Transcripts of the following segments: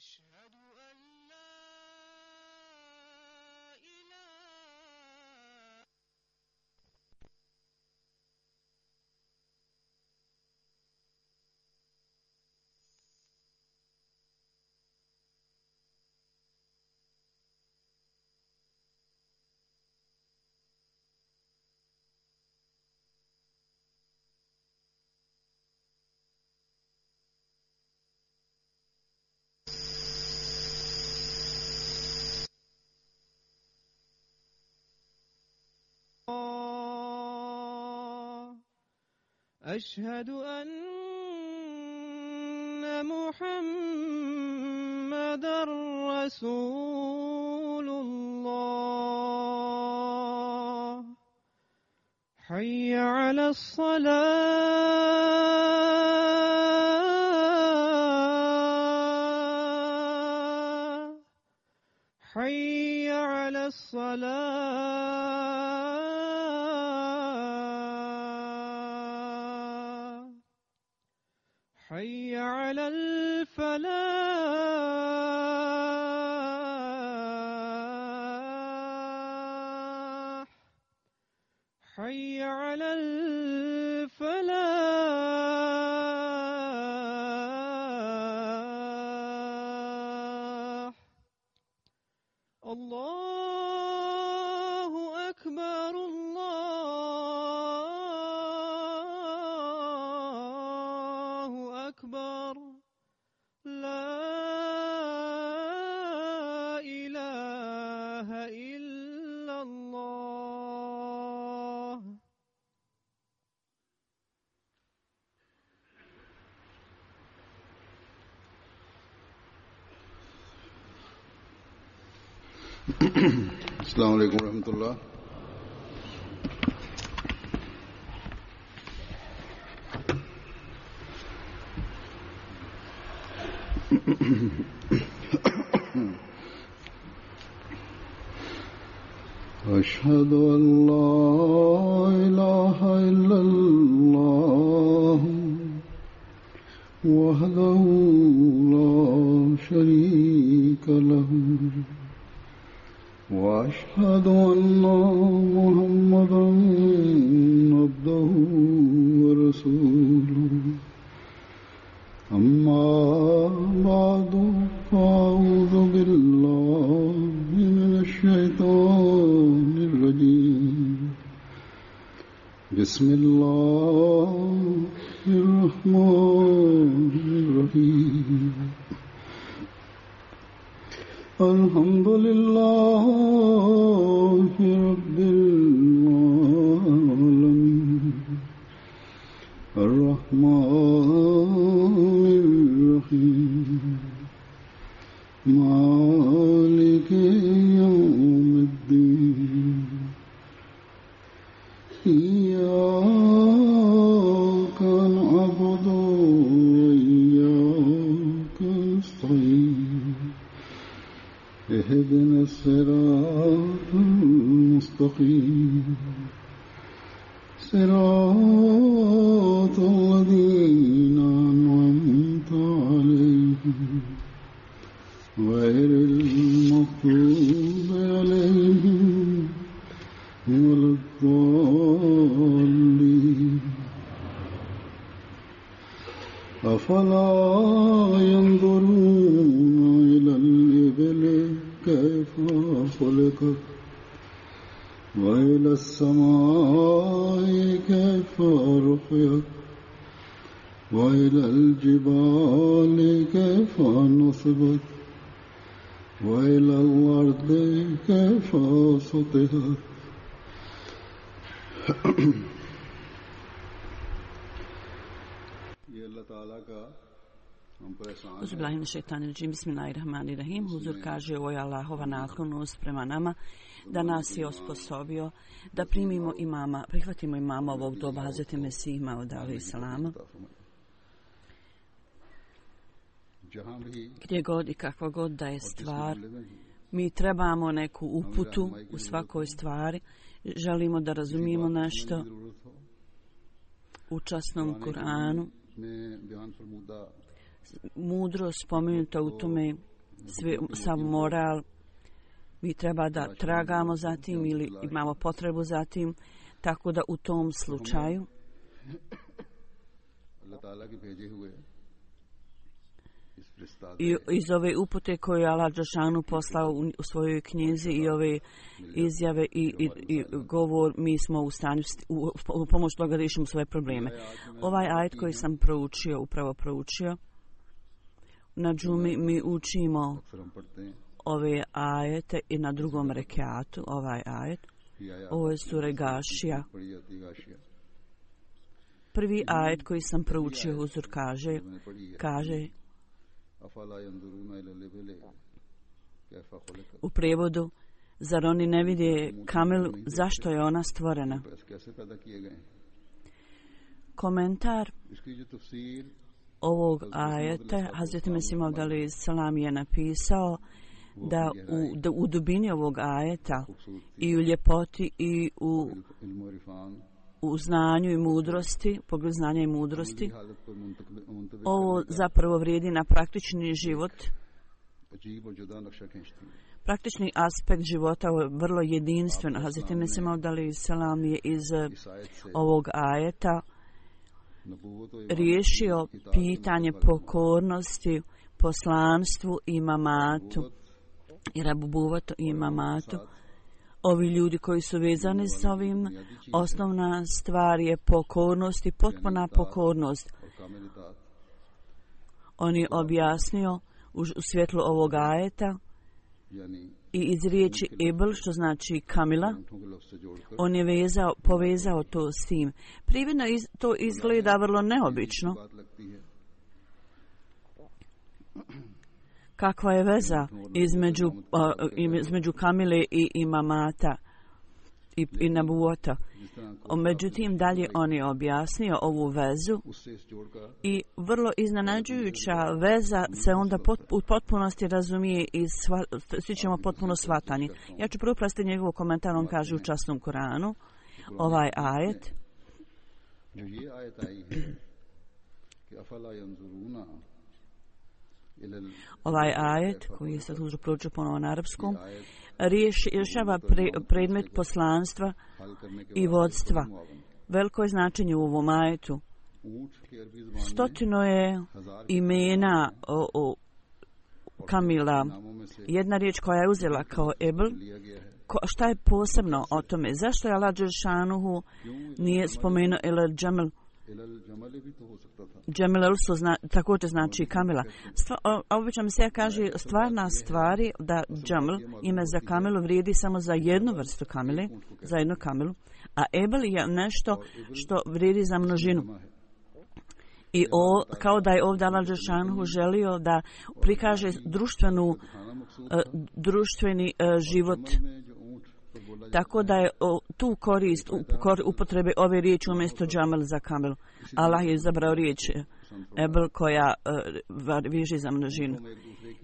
أشهد أن لا إله أشهد أن محمدًا رسول الله حي على الصلاة حي على الصلاة حي على الفلاح حي على الفلاح الله أكبر الله أكبر لا إله إلا الله السلام علیکم ورحمۃ اللہ. أشهد أن لا إله إلا الله وحده لا شريك له وأشهد أن محمدًا عبده ورسوله أما بعد فأعوذ بالله من الشيطان الرجيم بسم الله الرحمن الرحيم الحمد لله رب العالمين الرحمن الرحيم مالك يوم الدين إياك نعبد وإياك نستعين اهدنا الصراط المستقيم صراط الذين أنعمت عليهم غير المغضوب عليهم ولا الضالين. أفلا ينظرون إلى الإبل كيف خلقت وإلى السماء كيف رفعت وإلى الجبال كيف نصبت وإلى الأرض كيف سطحت. ये अल्लाह ताला का Uzbillahiminašaitanirđim, bismillahirrahmanirrahim. Huzur kaže, ovo je Allahova naklonost prema nama, da nas je osposobio da primimo imama, prihvatimo imama ovog doba, Hazreti Mesih Mauda alejhi selama. Gdje god i kakva god da je stvar, mi trebamo neku uputu u svakoj stvari, želimo da razumijemo nešto u časnom Kur'anu. Mudro spomenuta u tome sav moral, mi treba da tragamo za tim ili imamo potrebu za tim, tako da u tom slučaju i iz ove upute koje je Allah dželešanu poslao u svojoj knjizi i ove izjave i govor, mi smo u stanju u pomoć toga da riješimo svoje probleme. Ovaj ajet koji sam upravo proučio, na džumi mi učimo ove ajete i na drugom rekatu ovaj ajet. Ovo je sura Gašija. Prvi ajet koji sam proučio, Huzur kaže u prevodu, zar oni ne vide kamelu, zašto je ona stvorena? Komentar ovog ajeta Hazreti Mesih Maud alejhi selam je napisao da u dubini ovog ajeta i u ljepoti i u znanju i mudrosti, pogled znanja i mudrosti, ovo zapravo vrijedi na praktični život. Praktični aspekt života je vrlo jedinstven. Hazreti Mesih Maud alejhi selam je iz ovog ajeta riješio pitanje pokornosti poslanstvu i mamatu i rabubuvatu i mamatu. Ovi ljudi koji su vezani s ovim, osnovna stvar je pokornost i potpuna pokornost. On je objasnio u svjetlu ovog ajeta i iz riječi Ibl, što znači kamila, on je povezao to s tim. Prividno to izgleda vrlo neobično. Kakva je veza između kamile i imamata i nabuota? Međutim, dalje on je objasnio ovu vezu i vrlo iznenađujuća veza se onda u potpunosti razumije i svi ćemo potpuno shvatanje. Ja ću prvo prestati njegov komentar, on kaže u časnom Koranu, ovaj ajet. Ovaj ajet, koji je sad uzro proučio ponovo na arapskom, rješava predmet poslanstva i vodstva. Veliko je značenje u ovom ajetu. 100 je imena kamila. Jedna riječ koja je uzela kao ebl. Šta je posebno o tome? Zašto je Allah dželešanu nije spomenuo elal džamel? Džemel također znači kamila. Obično mi se kaže stvarna stvari da džamel, ime za kamilu, vrijedi samo za jednu vrstu kamile, za jednu kamilu, a ebel je nešto što vrijedi za množinu. I kao da je ovdje Allah dželešanu želio da prikaže društveni život. Tako da je tu korist upotrebe ove riječi umjesto džamel za kamel. Allah je izabrao riječ ebel koja viži za množinu.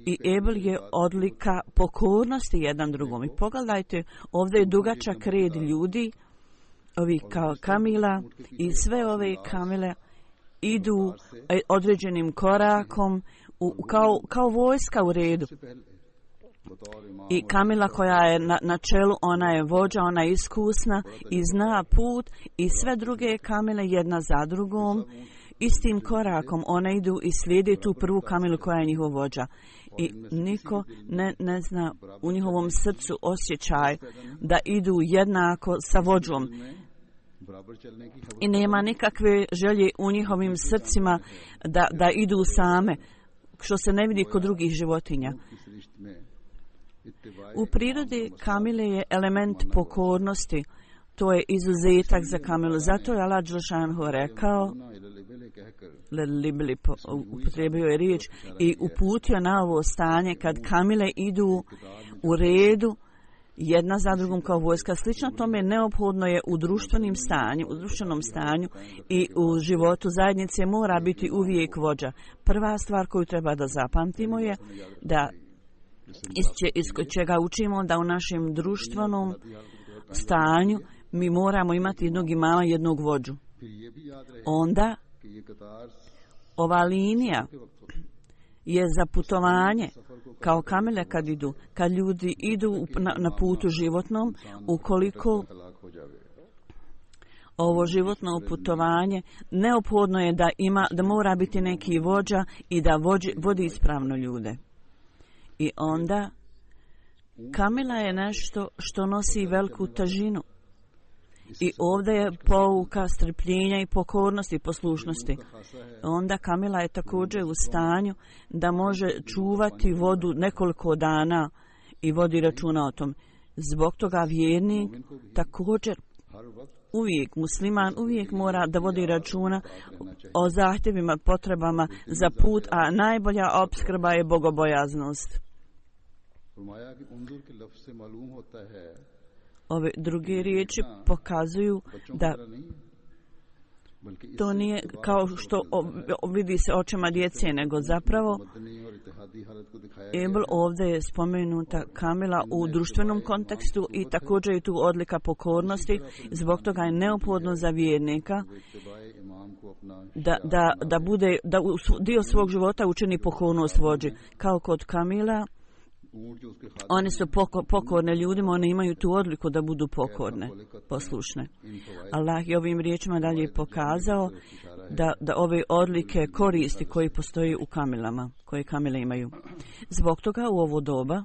I ebel je odlika pokornosti jedan drugom. I pogledajte, ovdje je dugačak red ljudi, ovih kao kamila, i sve ove kamile idu određenim korakom kao vojska u redu. I kamila koja je na čelu, ona je vođa, ona je iskusna i zna put, i sve druge kamile jedna za drugom istim korakom one idu i slijede tu prvu kamilu koja je njihov vođa. I niko ne zna u njihovom srcu osjećaj da idu jednako sa vođom. I nema nikakve želje u njihovim srcima da idu same, što se ne vidi kod drugih životinja. U prirodi kamile je element pokornosti. To je izuzetak za kamilu. Zato je Allah dželešanu rekao, upotrijebio je riječ i uputio na ovo stanje kad kamile idu u redu jedna za drugom kao vojska. Slično tome neophodno je u društvenom stanju i u životu zajednice mora biti uvijek vođa. Prva stvar koju treba da zapamtimo je da iz čega učimo da u našem društvenom stanju mi moramo imati jednog imama, jednog vođu. Onda ova linija je za putovanje, kao kamele kad ljudi idu na putu životnom, ukoliko ovo životno putovanje, neophodno je da mora biti neki vođa i da vodi ispravno ljude. I onda kamila je nešto što nosi veliku težinu. I ovdje je pouka strpljenja i pokornosti i poslušnosti. Onda kamila je također u stanju da može čuvati vodu nekoliko dana i vodi računa o tom. Zbog toga vjernik također musliman uvijek mora da vodi računa o zahtjevima, potrebama za put, a najbolja opskrba je bogobojaznost. Ove druge riječi pokazuju da to nije kao što vidi se očima djece, nego zapravo ovdje je spomenuta kamila u društvenom kontekstu i također je tu odlika pokornosti. Zbog toga je neophodno za vjernika da dio svog života učini pokornost vođi. Kao kod kamila, one su pokorne ljudima, one imaju tu odliku da budu pokorne, poslušne. Allah je ovim riječima dalje pokazao da ove odlike koristi koji postoji u kamilama, koje kamile imaju. Zbog toga u ovo doba,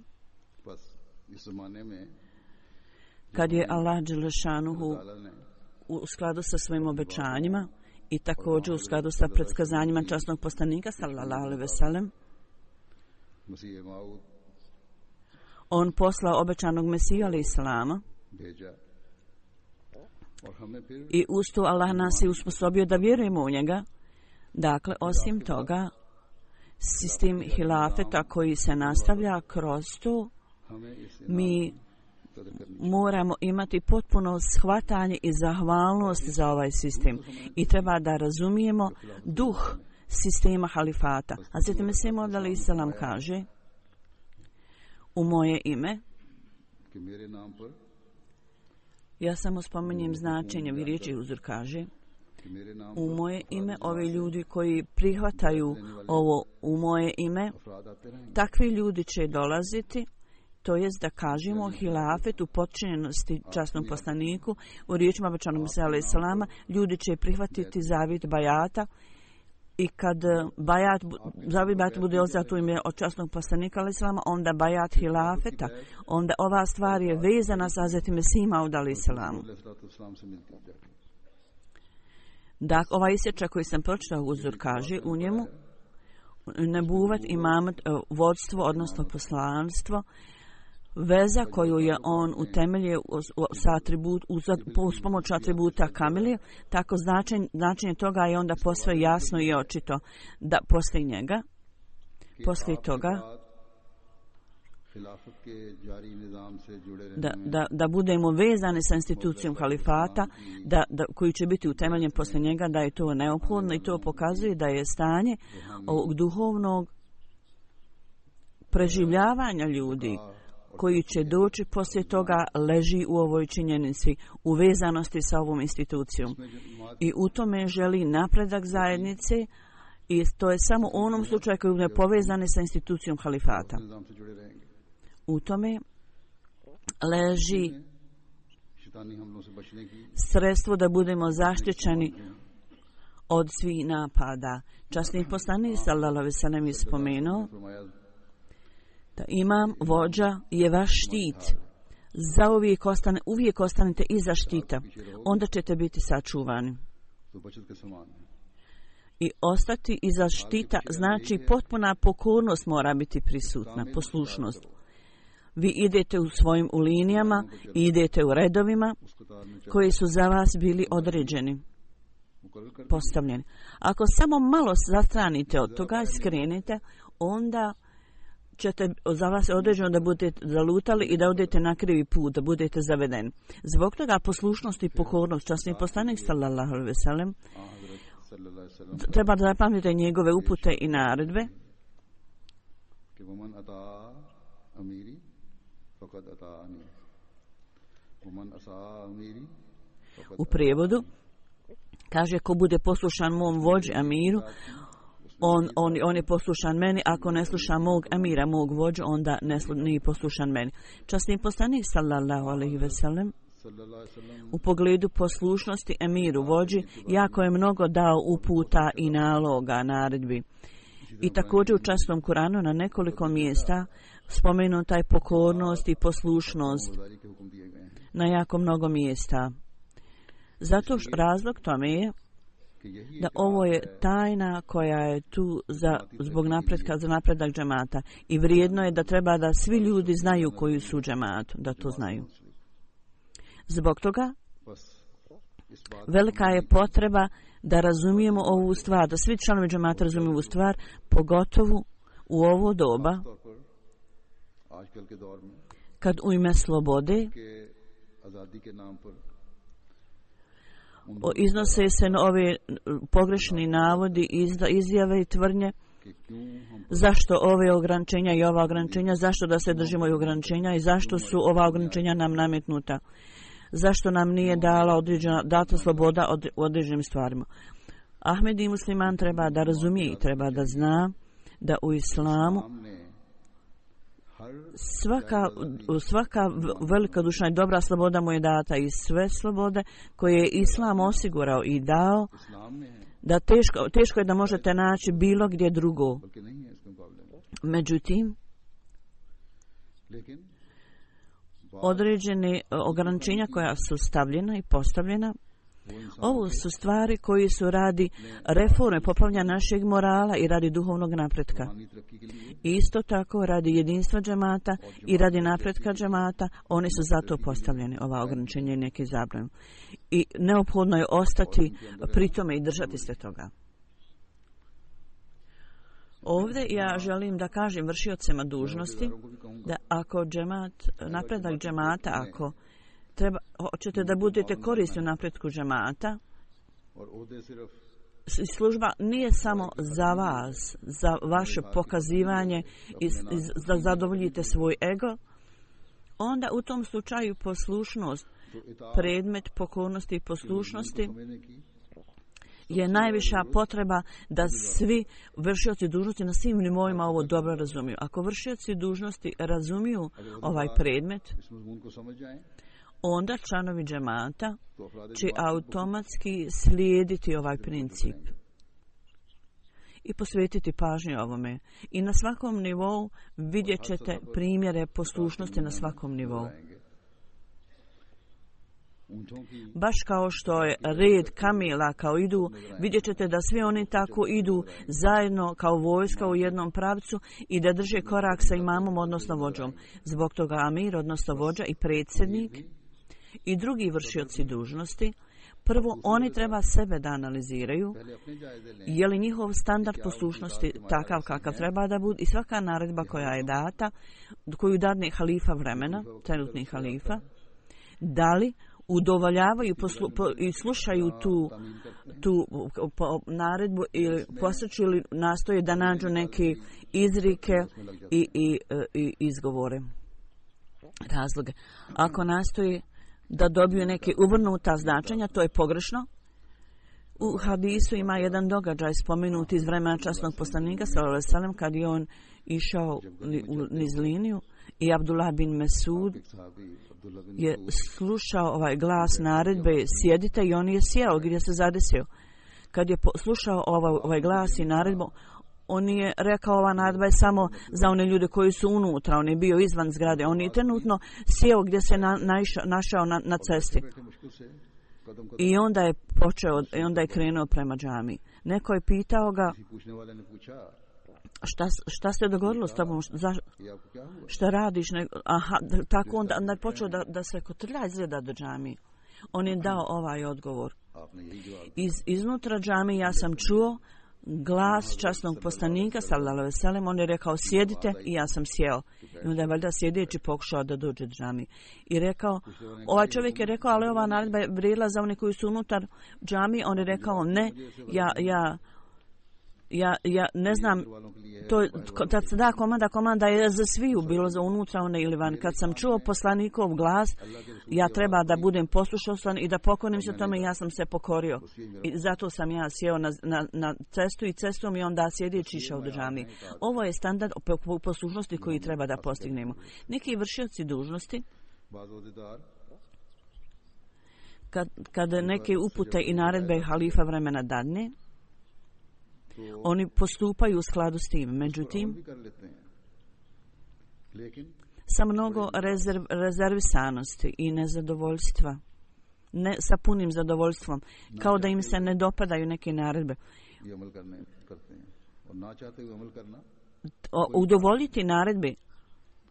kad je Allah dželešanuhu u skladu sa svojim obećanjima i također u skladu sa predskazanjima časnog poslanika sallallahu alejhi ve sellem, on poslao obećanog Mesiju alejhi selama i uz to Allah nas je usposobio da vjerujemo u njega. Dakle, osim toga, sistem hilafeta koji se nastavlja kroz to, mi moramo imati potpuno shvatanje i zahvalnost za ovaj sistem i treba da razumijemo duh sistema halifata. Hazreti Mesih Maud alejhi selam kaže: u moje ime, ja samo spominjem značenje vi riječi, Huzur kaže, u moje ime, ovi ljudi koji prihvataju ovo u moje ime, takvi ljudi će dolaziti, to jest da kažemo hilafet u potčinjenosti časnom poslaniku, u riječima obećanog Mesija alejhi selama, ljudi će prihvatiti zavjet bajata. I kad zavjet bajat bude uzet u ime od časnog poslanika alejhi selama, onda bajat hilafeta, onda ova stvar je vezana sa Hazreti Mesijom Maud alejhi selamu. Dakle, ovaj isječak koji sam pročitao, Huzur kaže u njemu, nebuvat, imamet, vodstvo, odnosno poslanstvo, veza koju je on utemeljio uz pomoć atributa kamilije, tako značenje toga je onda posve jasno i očito da poslije njega, poslije toga, da budemo vezani sa institucijom halifata, koji će biti utemeljen poslije njega, da je to neophodno i to pokazuje da je stanje ovog duhovnog preživljavanja ljudi koji će doći poslije toga leži u ovoj činjenici, u vezanosti sa ovom institucijom. I u tome želi napredak zajednice i to je samo u onom slučaju koji je povezane sa institucijom halifata. U tome leži sredstvo da budemo zaštićeni od svih napada. Časni poslanik sallallahu alejhi ve sellem je spomenuo da imam, vođa je vaš štit. Uvijek ostanete iza štita. Onda ćete biti sačuvani. I ostati iza štita znači potpuna pokornost mora biti prisutna, poslušnost. Vi idete u svojim linijama, idete u redovima koji su za vas bili određeni, postavljeni. Ako samo malo zastranite od toga i skrenete, onda ćete za vas određeno da budete zalutali i da odete na krivi put, da budete zavedeni. Zbog toga poslušnost i pokornost, časni poslanik sallallahu alejhi ve sellem, treba da zapamtite njegove upute i naredbe. U prijevodu kaže: ko bude poslušan mom vođi Amiru, on je poslušan meni, ako ne sluša mog emira, mog vođu, onda nije poslušan meni. Časni poslanik sallallahu alejhi ve sellem u pogledu poslušnosti emiru vođi jako je mnogo dao uputa i naloga, naredbi. I također u časnom Kuranu na nekoliko mjesta spomenuta je pokornost i poslušnost na jako mnogo mjesta. Zato razlog tome je da ovo je tajna koja je tu zbog za napredak džemata i vrijedno je da treba da svi ljudi znaju koji su u džematu, da to znaju. Zbog toga velika je potreba da razumijemo ovu stvar, da svi članovi džemata razumiju ovu stvar, pogotovo u ovo doba kad u ime slobode iznose se ove pogrešni navodi, izjave i tvrdnje. Zašto ove ograničenja i ova ograničenja, zašto da se držimo i ograničenja i zašto su ova ograničenja nam nametnuta? Zašto nam nije data sloboda u određenim stvarima? Ahmed i musliman treba da razumije i treba da zna da u islamu svaka velika duša i dobra sloboda mu je data i sve slobode koje je islam osigurao i dao, da teško je da možete naći bilo gdje drugo. Međutim, određene ograničenja koja su stavljena i postavljena, ovo su stvari koji su radi reforme, popravljanja našeg morala i radi duhovnog napretka. Isto tako radi jedinstva džemata i radi napretka džemata, oni su zato postavljeni, ova ograničenja i neke zabrane. I neophodno je ostati pri tome i držati se toga. Ovdje ja želim da kažem vršiocima dužnosti da ako napredak džemata, ako hoćete da budete korisni u napretku džemata, služba nije samo za vas, za vaše pokazivanje i da zadovoljite svoj ego, onda u tom slučaju poslušnost, predmet pokornosti i poslušnosti je najviša potreba da svi vršioci dužnosti na svim nivoima ovo dobro razumiju. Ako vršioci dužnosti razumiju ovaj predmet, onda članovi džemata će automatski slijediti ovaj princip i posvetiti pažnju ovome. I na svakom nivou vidjet ćete primjere poslušnosti na svakom nivou. Baš kao što je red kamila kao idu, vidjet ćete da svi oni tako idu zajedno kao vojska u jednom pravcu i da drže korak sa imamom, odnosno vođom. Zbog toga amir, odnosno vođa i predsjednik i drugi vršioci dužnosti, prvo oni treba sebe da analiziraju, je li njihov standard poslušnosti takav kakav treba da bude i svaka naredba koja je data, koju dadne halifa vremena, trenutni halifa, da li udovoljavaju i slušaju tu naredbu ili posjeću ili nastoje da nađu neke izrike i izgovore, razloge. Ako nastoje da dobiju neke uvrnuta značenja, to je pogrešno. U hadisu ima jedan događaj spomenut iz vremena časnog poslanika sallallahu alejhi ve sellem kad je on išao niz liniju i Abdullah bin Mesud je slušao ovaj glas naredbe sjedite i on je sjeo gdje se zadesio. Kad je slušao ovaj glas i naredbu, on je rekao ova naredba je samo za one ljude koji su unutra, on je bio izvan zgrade, on je trenutno sjeo gdje se našao na cesti. I onda je krenuo prema džami. Neko je pitao ga šta se dogodilo s tobom, šta radiš? Tako onda je počeo da se kotrlja izgleda do džami. On je dao ovaj odgovor. Iznutra džami ja sam čuo glas časnog poslanika sallallahu alejhi ve sellem, on je rekao sjedite i ja sam sjeo. I onda je valjda sjedeći pokušao da dođe do džami. I rekao, ovaj čovjek je rekao, ali ova naredba je vrijedila za one koji su unutar džami. On je rekao, ne, ja ne znam, kad se da komanda je za sviju, bilo za unutra one ili van. Kad sam čuo poslanikov glas, ja treba da budem poslušan i da pokorim se tome, ja sam se pokorio. I zato sam ja sjeo na cestu i cestom i onda sjedeći išao do džamije. Ovo je standard poslušnosti koji treba da postignemo. Neki vršioci dužnosti, kad neke upute i naredbe halifa vremena dadne, oni postupaju u skladu s tim. Međutim, sa mnogo rezervisanosti i nezadovoljstva, ne sa punim zadovoljstvom, kao da im se ne dopadaju neke naredbe. Udovoljiti naredbe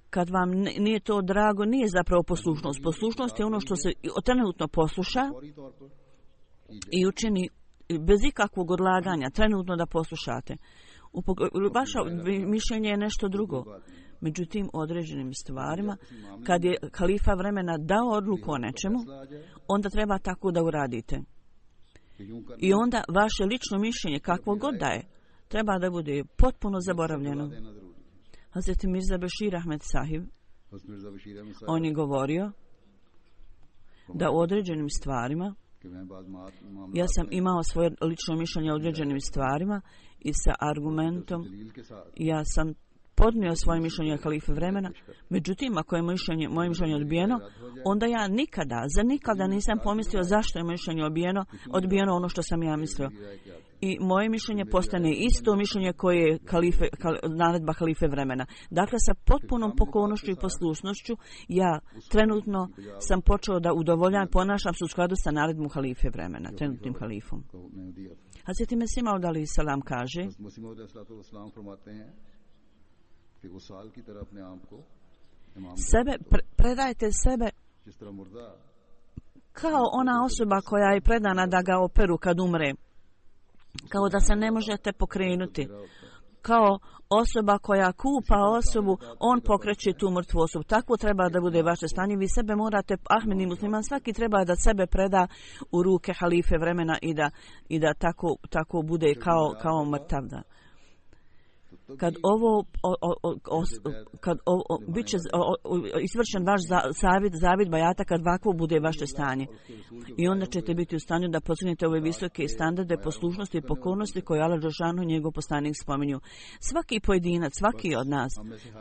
kad vam nije to drago, nije zapravo poslušnost. Poslušnost je ono što se trenutno posluša i učini bez ikakvog odlaganja, trenutno da poslušate. Vaše mišljenje je nešto drugo. Međutim, određenim stvarima, kad je halifa vremena dao odluku o nečemu, onda treba tako da uradite. I onda vaše lično mišljenje, kakvo god da je, treba da bude potpuno zaboravljeno. Hazreti Mirza Bashir Ahmed Sahib, on je govorio da u određenim stvarima, ja sam imao svoje lično mišljenje o određenim stvarima i sa argumentom ja sam podnio svoje mišljenje halife vremena. Međutim, ako je moje mišljenje odbijeno, onda ja nikada nisam pomislio zašto je moje mišljenje odbijeno ono što sam ja mislio. I moje mišljenje postane isto mišljenje koje je naredba halife vremena. Dakle, sa potpunom pokornošću i poslušnošću, ja trenutno sam počeo da udovoljam, ponašam se u skladu sa naredbom halife vremena, trenutnim halifom. Hazreti Mesih Maud alejhi selam kaže, predajte sebe kao ona osoba koja je predana da ga operu kad umre, kao da se ne možete pokrenuti, kao osoba koja kupa osobu, on pokreće tu mrtvu osobu. Tako treba da bude vaše stanje. Vi sebe morate, Ahmedi musliman, svaki treba da sebe preda u ruke halife vremena i da tako bude kao mrtav. Kad bit će izvršen vaš zavid bajata, kad ovako bude vaše stanje. I onda ćete biti u stanju da postignete ove visoke standarde poslušnosti i pokornosti koje Allah dželešanu njegov poslanik spominju. Svaki pojedinac, svaki od nas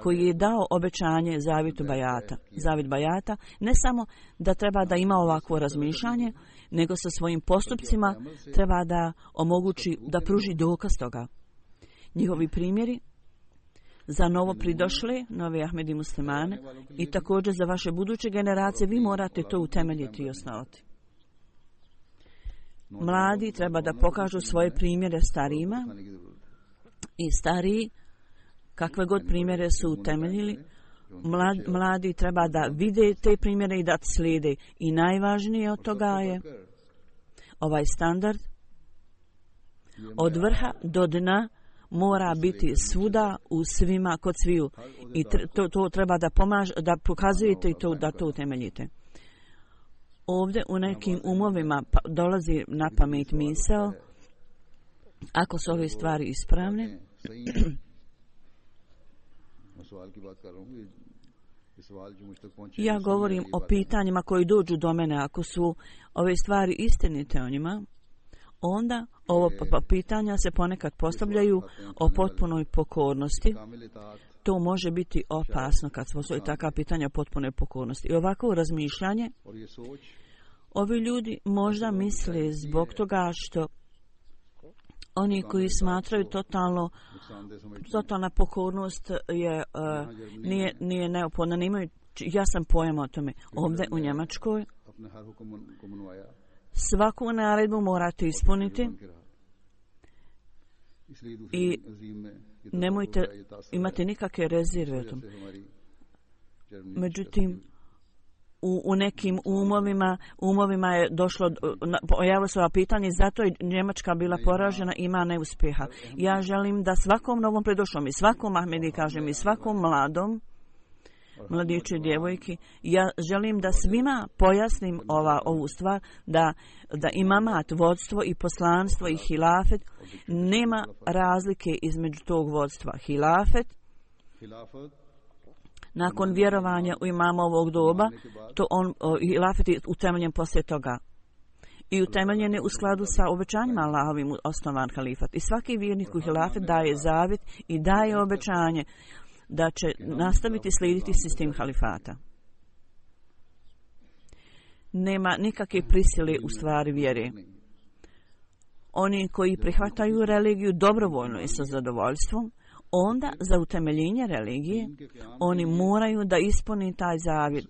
koji je dao obećanje zavid bajata, ne samo da treba da ima ovakvo razmišljanje, nego sa svojim postupcima treba da omogući, da pruži dokaz toga. Njihovi primjeri za novo pridošle, novi Ahmedi muslimane i također za vaše buduće generacije, vi morate to utemeljiti i osnovati. Mladi treba da pokažu svoje primjere starijima i stariji, kakve god primjere su utemeljili, mladi treba da vide te primjere i da slijede. I najvažnije od toga je ovaj standard od vrha do dna mora biti svuda, u svima, kod sviju. I to treba da pokazujete i da to utemeljite. Ovdje u nekim umovima dolazi na pamet misao, ako su ove stvari ispravne, ja govorim o pitanjima koji dođu do mene, ako su ove stvari istinite o njima, onda ovo pitanja se ponekad postavljaju o potpunoj pokornosti. To može biti opasno kad se postavljaju takva pitanja o potpunoj pokornosti. I ovako razmišljanje, ovi ljudi možda misle zbog toga što oni koji smatraju totalna pokornost nije neophodna, nemaju jasan pojam o tome. Ovdje u Njemačkoj svaku naredbu morate ispuniti i nemojte imati nikakve rezerve o tom. Međutim, u nekim umovima je pojavilo se ova pitanje, zato je Njemačka bila poražena, ima neuspjeha. Ja želim da svakom novom predošlom i svakom Ahmedi, kažem, i svakom mladiću i djevojki, ja želim da svima pojasnim ovu stvar, da imamat, vodstvo i poslanstvo i hilafet, nema razlike između tog vodstva. Hilafet, nakon vjerovanja u imama ovog doba, to hilafet je utemeljen poslije toga. I utemeljen je u skladu sa obećanjima Allahovim osnovan halifat. I svaki vjernik u hilafet daje zavjet i daje obećanje da će nastaviti slijediti sistem halifata. Nema nikakve prisile u stvari vjere. Oni koji prihvataju religiju dobrovoljno i sa zadovoljstvom, onda za utemeljenje religije oni moraju da ispuni taj zavjet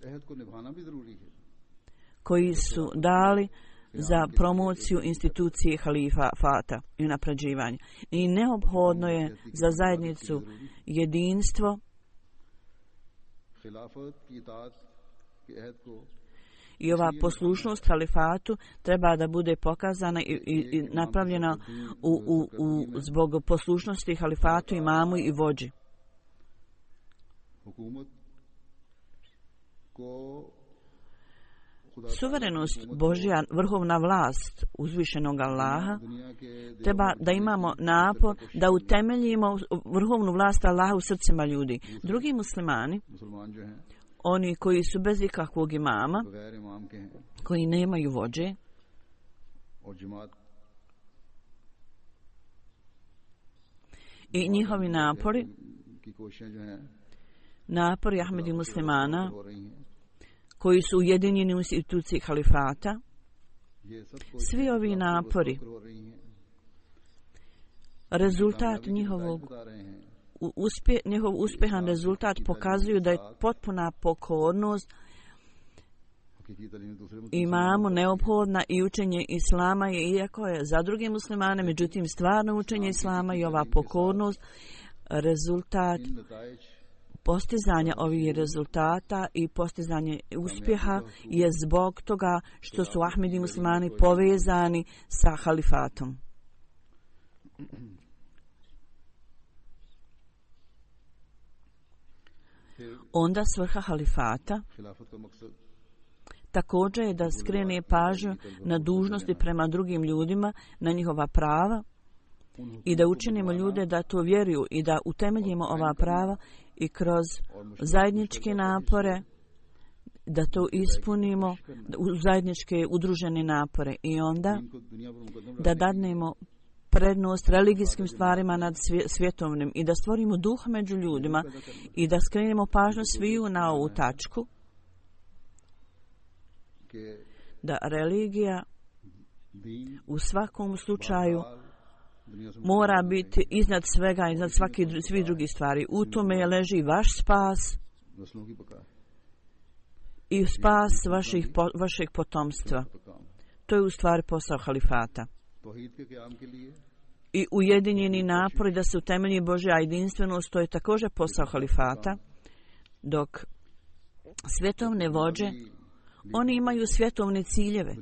koji su dali za promociju institucije halifata i unapređivanje. I neophodno je za zajednicu jedinstvo i ova poslušnost halifatu treba da bude pokazana i napravljena zbog poslušnosti halifatu, imamu i vođi. Suverenost Božja, vrhovna vlast uzvišenog Allaha, treba da imamo napor da utemeljimo vrhovnu vlast Allaha u srcima ljudi. Drugi muslimani, oni koji su bez ikakvog imama, koji nemaju vođe, i njihovi napori Ahmedi muslimana, koji su ujedinjeni u instituciji halifata, svi ovi napori, rezultat njihov uspjehan rezultat pokazuju da je potpuna pokornost imamu neophodna i učenje islama je, iako je za druge muslimane, međutim stvarno učenje islama i ova pokornost rezultat postizanja ovih rezultata i postizanje uspjeha je zbog toga što su Ahmedi muslimani povezani sa halifatom. Onda svrha halifata također je da skrene pažnju na dužnosti prema drugim ljudima, na njihova prava i da učinimo ljude da to vjeruju i da utemeljimo ova prava i kroz zajedničke napore da to ispunimo u zajedničke udružene napore i onda da dadnemo prednost religijskim stvarima nad svjetovnim i da stvorimo duh među ljudima i da skrenemo pažnju sviju na ovu tačku da religija u svakom slučaju mora biti iznad svega, iznad svih drugih stvari. U tome leži vaš spas i spas vašeg potomstva. To je u stvari posao halifata. I ujedinjeni napori da se utemelji Božja jedinstvenost, to je također posao halifata, dok svjetovne vođe, oni imaju svjetovne ciljeve.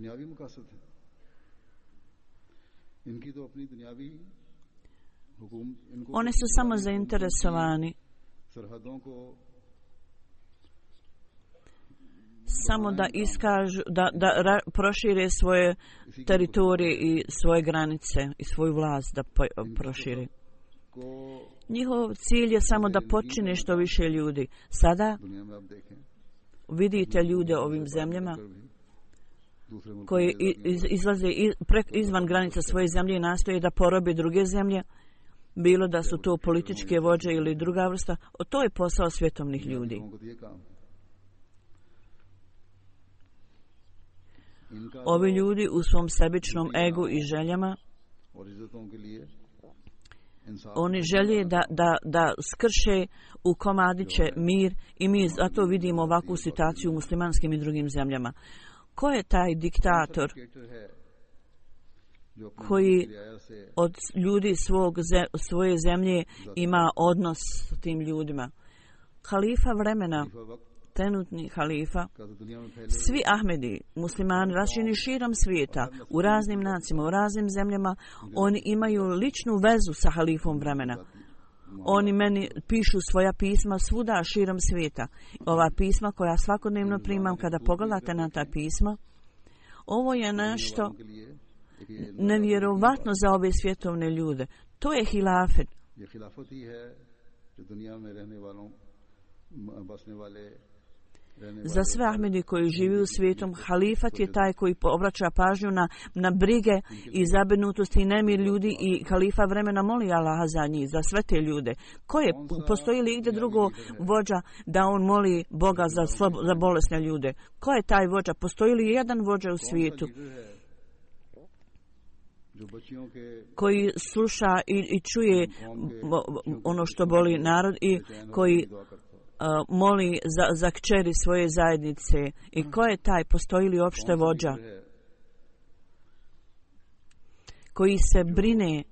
Oni su samo zainteresovani samo da iskažu, da prošire svoje teritorije i svoje granice i svoju vlast da prošire. Njihov cilj je samo da počine što više ljudi. Sada vidite ljude ovim zemljama koji izlaze izvan granica svoje zemlje i nastoje da porobe druge zemlje, bilo da su to političke vođe ili druga vrsta. To je posao svjetovnih ljudi. Ovi ljudi u svom sebičnom egu i željama, oni žele da skrše u komadiće mir i mi zato vidimo ovakvu situaciju u muslimanskim i drugim zemljama. Ko je taj diktator koji od ljudi svoje zemlje ima odnos s tim ljudima? Halifa vremena, trenutni halifa, svi Ahmedi, muslimani rašireni širom svijeta, u raznim nacijama, u raznim zemljama, oni imaju ličnu vezu sa halifom vremena. Oni meni pišu svoja pisma svuda širom svijeta. Ova pisma koja svakodnevno primam, kada pogledate na ta pisma, ovo je nešto nevjerovatno za ove svjetovne ljude. To je hilafet. बसने वाले Za sve Ahmedi koji živi u svijetom, halifat je taj koji obraća pažnju na brige i zabrinutosti i nemir ljudi i halifa vremena moli Allaha za njih, za sve te ljude. Postoji li igdje drugo vođa da on moli Boga za bolesne ljude? Ko je taj vođa? Postoji li jedan vođa u svijetu koji sluša i čuje ono što boli narod i koji moli za kćeri svoje zajednice? I ko je taj? Postoji li uopšte vođa koji se brine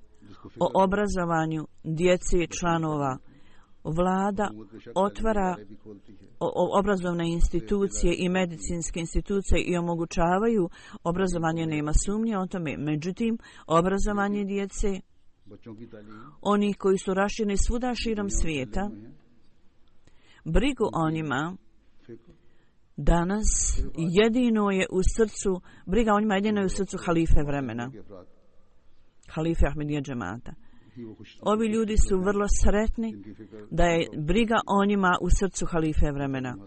o obrazovanju djece članova? Vlada otvara obrazovne institucije i medicinske institucije i omogućavaju obrazovanje, nema sumnje o tome. Međutim, obrazovanje djece, oni koji su rašireni svuda širom svijeta, brigu o njima danas jedino je u srcu, briga o njima jedino je u srcu halife vremena, halife Ahmedija džemata. Ovi ljudi su vrlo sretni da je briga o njima u srcu halife vremena.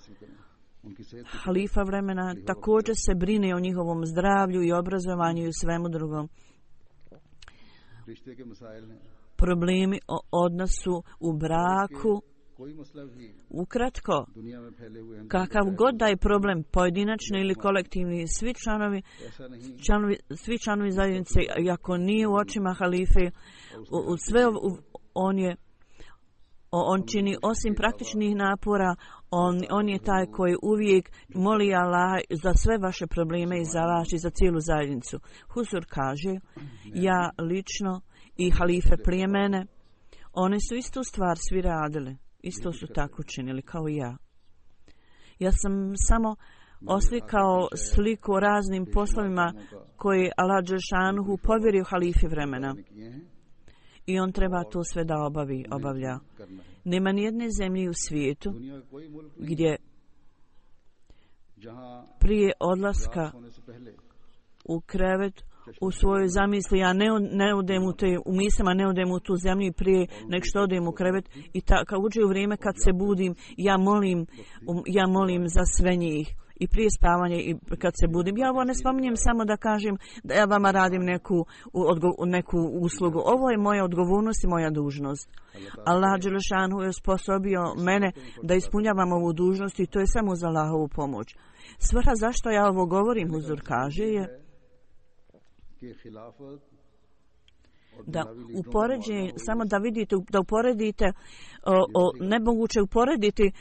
Halifa vremena također se brine o njihovom zdravlju i obrazovanju i u svemu drugom. Problemi o odnosu u braku, ukratko, kakav god da je problem, pojedinačni ili kolektivni, svi članovi zajednice, iako nije u očima halife, on čini osim praktičnih napora, on je taj koji uvijek moli Allah za sve vaše probleme i za vas i za cijelu zajednicu. Huzur kaže, ja lično i halife prije mene, one su istu stvar svi radili. Isto su tako činili kao i ja. Ja sam samo oslikao sliku o raznim poslovima koje Allah dželšanuhu povjerio halifi vremena. I on treba to sve da obavlja. Nema nijedne zemlje u svijetu gdje prije odlaska u krevet u svojoj zamisli ja ne odem u mislima, ne odem u tu zemlju i prije nek što odem u krevet i kad uđe u vrijeme kad se budim ja molim za sve njih i prije spavanja i kad se budim. Ja ovo ne spominjem samo da kažem da ja vama radim neku uslugu. Ovo je moja odgovornost i moja dužnost. Allah dželešanu je osposobio mene da ispunjavam ovu dužnost i to je samo za Allahovu pomoć. Svrha zašto ja ovo govorim, Huzur kaže, je da upoređenje, samo da vidite, da uporedite, nemoguće uporediti